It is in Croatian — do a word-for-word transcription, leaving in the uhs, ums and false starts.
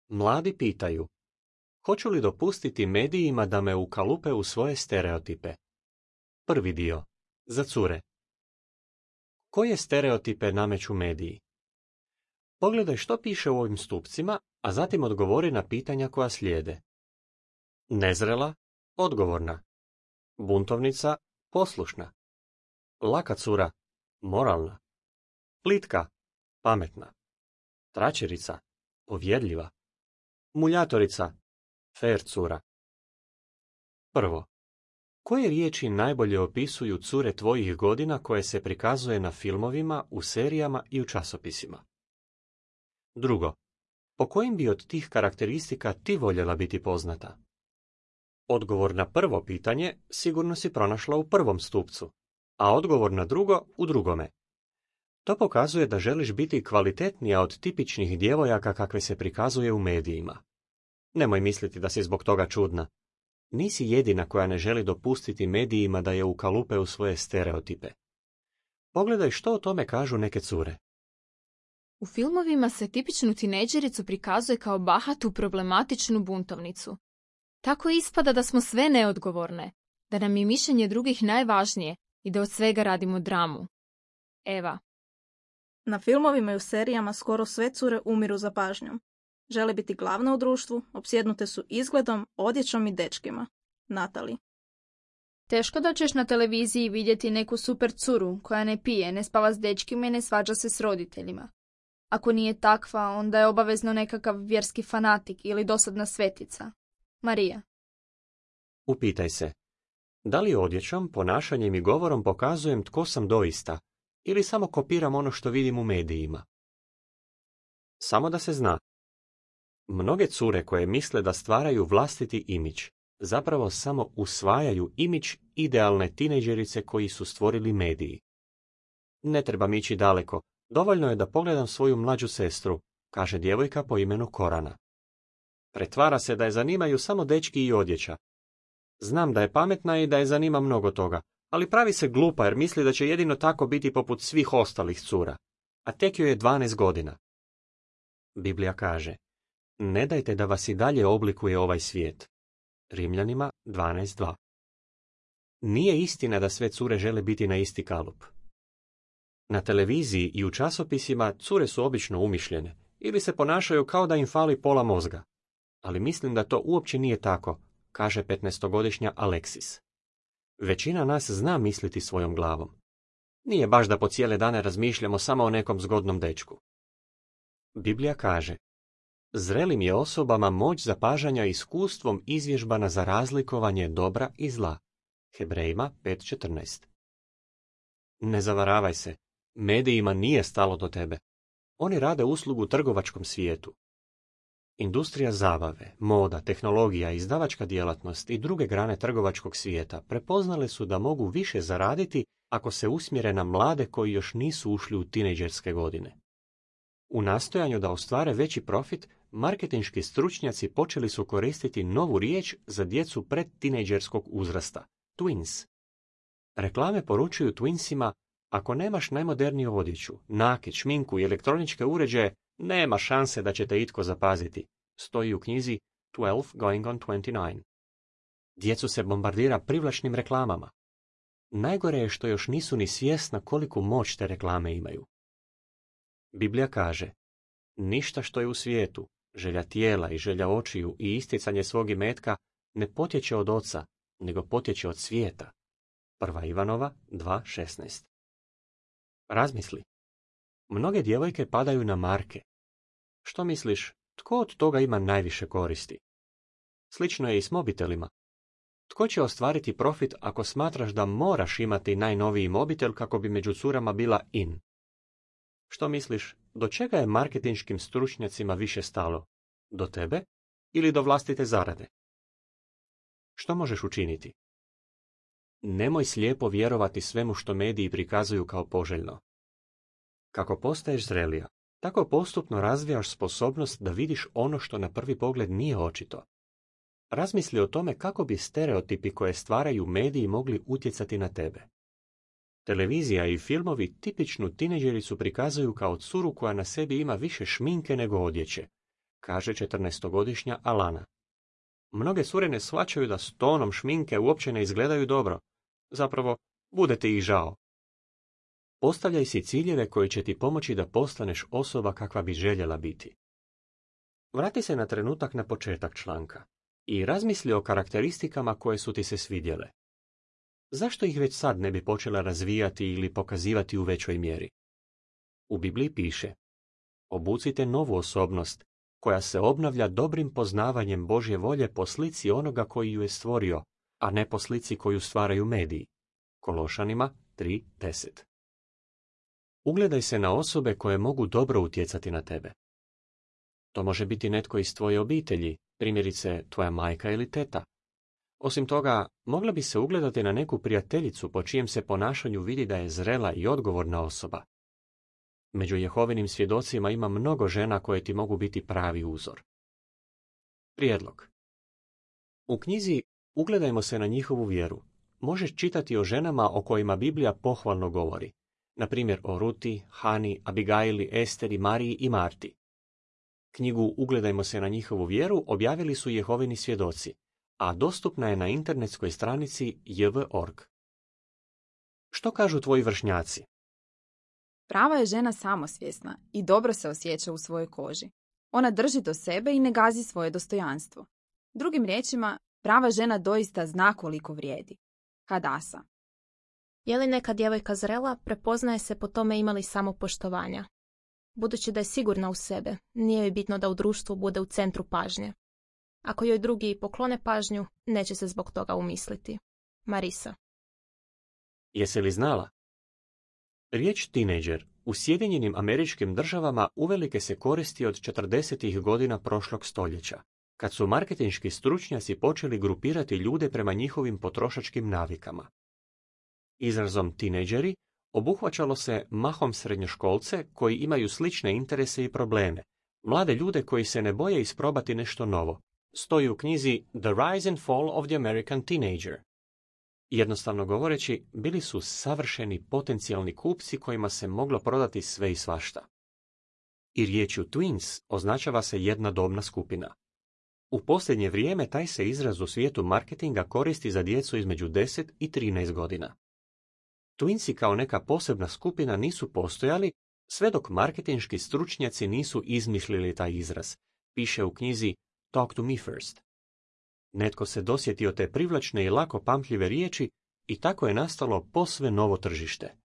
Mladi pitaju, hoću li dopustiti medijima da me ukalupe u svoje stereotipe? Prvi dio. Za cure. Koje stereotipe nameću mediji? Pogledaj što piše u ovim stupcima, a zatim odgovori na pitanja koja slijede. Nezrela, odgovorna. Buntovnica, poslušna. Laka cura, moralna. Plitka, pametna. Tračerica, povjerljiva. Muljatorica, fer cura. Prvo. Koje riječi najbolje opisuju cure tvojih godina koje se prikazuje na filmovima, u serijama i u časopisima? Drugo. Po kojim bi od tih karakteristika ti voljela biti poznata? Odgovor na prvo pitanje sigurno si pronašla u prvom stupcu, a odgovor na drugo u drugome. To pokazuje da želiš biti kvalitetnija od tipičnih djevojaka kakve se prikazuje u medijima. Nemoj misliti da si zbog toga čudna. Nisi jedina koja ne želi dopustiti medijima da je ukalupe u svoje stereotipe. Pogledaj što o tome kažu neke cure. U filmovima se tipičnu tinejdžericu prikazuje kao bahatu, problematičnu buntovnicu. Tako ispada da smo sve neodgovorne, da nam je mišljenje drugih najvažnije i da od svega radimo dramu. Eva. Na filmovima i u serijama skoro sve cure umiru za pažnjom. Žele biti glavne u društvu, opsjednute su izgledom, odjećom i dečkima. Natali. Teško da ćeš na televiziji vidjeti neku super curu koja ne pije, ne spava s dečkima i ne svađa se s roditeljima. Ako nije takva, onda je obavezno nekakav vjerski fanatik ili dosadna svetica. Marija. Upitaj se, da li odjećom, ponašanjem i govorom pokazujem tko sam doista, ili samo kopiram ono što vidim u medijima? Samo da se zna. Mnoge cure koje misle da stvaraju vlastiti imidž, zapravo samo usvajaju imidž idealne tinejdžerice koji su stvorili mediji. Ne trebam ići daleko, dovoljno je da pogledam svoju mlađu sestru, kaže djevojka po imenu Korana. Pretvara se da je zanimaju samo dečki i odjeća. Znam da je pametna i da je zanima mnogo toga, ali pravi se glupa jer misli da će jedino tako biti poput svih ostalih cura, a tek joj je dvanaest godina. Biblija kaže, ne dajte da vas i dalje oblikuje ovaj svijet. Rimljanima dvanaest dva. Nije istina da sve cure žele biti na isti kalup. Na televiziji i u časopisima cure su obično umišljene ili se ponašaju kao da im fali pola mozga. Ali mislim da to uopće nije tako, kaže petnaestogodišnja Alexis. Većina nas zna misliti svojom glavom. Nije baš da po cijele dane razmišljamo samo o nekom zgodnom dečku. Biblija kaže, zrelim je osobama moć zapažanja iskustvom izvježbana za razlikovanje dobra i zla. Hebrejima pet četrnaest. Ne zavaravaj se, medijima nije stalo do tebe. Oni rade uslugu trgovačkom svijetu. Industrija zabave, moda, tehnologija, izdavačka djelatnost i druge grane trgovačkog svijeta prepoznale su da mogu više zaraditi ako se usmjere na mlade koji još nisu ušli u tinejdžerske godine. U nastojanju da ostvare veći profit, marketinški stručnjaci počeli su koristiti novu riječ za djecu predtinejdžerskog uzrasta, twins. Reklame poručuju twinsima, ako nemaš najmoderniju odjeću, nakit, šminku i elektroničke uređaje, nema šanse da će te itko zapaziti, stoji u knjizi twelve going on twenty-nine. Djecu se bombardira privlačnim reklamama. Najgore je što još nisu ni svjesna koliku moć te reklame imaju. Biblija kaže, ništa što je u svijetu, želja tijela i želja očiju i isticanje svog imetka, ne potječe od oca, nego potječe od svijeta. Prva Ivanova dva šesnaest. Razmisli. Mnoge djevojke padaju na marke. Što misliš, tko od toga ima najviše koristi? Slično je i s mobitelima. Tko će ostvariti profit ako smatraš da moraš imati najnoviji mobitel kako bi među curama bila in? Što misliš, do čega je marketinškim stručnjacima više stalo? Do tebe ili do vlastite zarade? Što možeš učiniti? Nemoj slijepo vjerovati svemu što mediji prikazuju kao poželjno. Kako postaješ zrelija, tako postupno razvijaš sposobnost da vidiš ono što na prvi pogled nije očito. Razmisli o tome kako bi stereotipi koje stvaraju mediji mogli utjecati na tebe. Televizija i filmovi tipičnu tinejdžericu prikazuju kao curu koja na sebi ima više šminke nego odjeće, kaže četrnaestogodišnja Alana. Mnoge cure ne shvaćaju da s tonom šminke uopće ne izgledaju dobro. Zapravo, bude ti ih žao. Postavljaj si ciljeve koji će ti pomoći da postaneš osoba kakva bi željela biti. Vrati se na trenutak na početak članka i razmisli o karakteristikama koje su ti se svidjele. Zašto ih već sad ne bi počela razvijati ili pokazivati u većoj mjeri? U Bibliji piše: obucite novu osobnost koja se obnavlja dobrim poznavanjem Božje volje po slici onoga koji ju je stvorio, a ne po slici koju stvaraju mediji. Kološanima tri deset. Ugledaj se na osobe koje mogu dobro utjecati na tebe. To može biti netko iz tvoje obitelji, primjerice tvoja majka ili teta. Osim toga, mogla bi se ugledati na neku prijateljicu po čijem se ponašanju vidi da je zrela i odgovorna osoba. Među Jehovinim svjedocima ima mnogo žena koje ti mogu biti pravi uzor. Prijedlog. U knjizi Ugledajmo se na njihovu vjeru možeš čitati o ženama o kojima Biblija pohvalno govori, na primjer o Ruti, Hani, Abigaili, Esteri, Mariji i Marti. Knjigu Ugledajmo se na njihovu vjeru objavili su Jehovini svjedoci, a dostupna je na internetskoj stranici j v dot org. Što kažu tvoji vršnjaci? Prava je žena samosvjesna i dobro se osjeća u svojoj koži. Ona drži do sebe i ne gazi svoje dostojanstvo. Drugim riječima, prava žena doista zna koliko vrijedi. Hadasa. Je li neka djevojka zrela, prepoznaje se po tome imali samopoštovanja. Budući da je sigurna u sebe, nije joj bitno da u društvu bude u centru pažnje. Ako joj drugi poklone pažnju, neće se zbog toga umisliti. Marisa. Jesi li znala? Riječ tinejdžer u Sjedinjenim Američkim Državama uvelike se koristi od četrdesetih godina prošlog stoljeća, kad su marketinški stručnjaci počeli grupirati ljude prema njihovim potrošačkim navikama. Izrazom tinejdžeri obuhvaćalo se mahom srednjoškolce koji imaju slične interese i probleme, mlade ljude koji se ne boje isprobati nešto novo. Stoji u knjizi The Rise and Fall of the American Teenager. Jednostavno govoreći, bili su savršeni potencijalni kupci kojima se moglo prodati sve i svašta. I riječju twins označava se jedna dobna skupina. U posljednje vrijeme taj se izraz u svijetu marketinga koristi za djecu između deset i trinaest godina. Twinsi kao neka posebna skupina nisu postojali sve dok marketinški stručnjaci nisu izmislili taj izraz, piše u knjizi Talk to me first. Netko se dosjetio te privlačne i lako pamtljive riječi i tako je nastalo posve novo tržište.